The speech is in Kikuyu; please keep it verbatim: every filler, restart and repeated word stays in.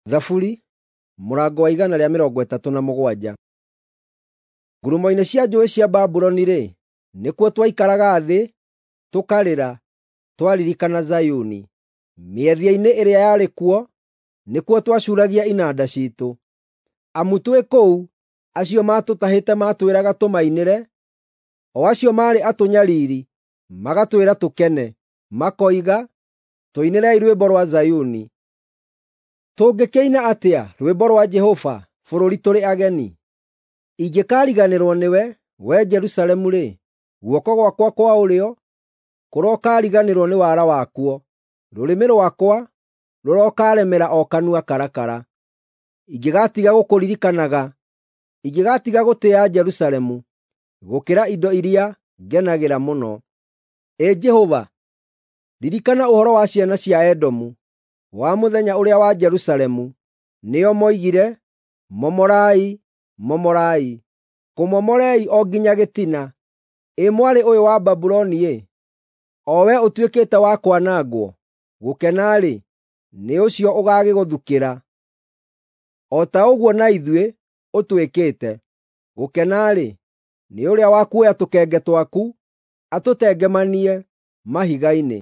Thaburi mũrango wa igana rĩa mĩrongo ĩtatũ na mũgwanja. Ngurumo-inĩ cia njũũĩ cia Babuloni-rĩ, nĩkuo twaikaraga thĩ tũkarĩra twaririkana Zayuni. Mĩethia-inĩ ĩrĩa yarĩ kuo nĩkuo twacuuragia inanda ciitũ. Amu twĩ kũu acio maatũtahĩte maatwĩraga tũmainĩre, o acio maarĩ atũnyariiri magatwĩra tũkene, makoiga, “Tũinĩrei rwĩmbo rwa Zayuni!” Tũngĩkĩina atĩa rwĩmbo rwa Jehova bũrũri tũrĩ ageni? Ingĩkariganĩrwo nĩwe, wee Jerusalemu-rĩ, guoko gwakwa kwa ũrĩo kũrokariganĩrwo nĩ wara wakuo, rũrĩmĩ rwakwa rũrokaremera o kanua karakara. Ingĩgatiga gũkũririkanaga, ingĩgatiga gũtĩĩa Jerusalemu gũkĩra indo iria ngenagĩra mũno. Ĩ Jehova, ririkana ũhoro wa ciana cia Edomu, wa mũthenya ũrĩa wa Jerusalemu, nĩo moigire, “Momorai, momorai, kũmomorei o nginya gĩtina!” Ĩ mwarĩ ũyũ wa Babuloni-ĩ, o wee ũtuĩkĩte wa kwanangwo, gũkena-rĩ, nĩ ũcio ũgaagĩgũthukĩra, o ta ũguo na ithuĩ ũtwĩkĩte. Gũkena-rĩ, nĩ ũrĩa wa kuoya tũkenge twaku atũtengemanie mahiga-inĩ.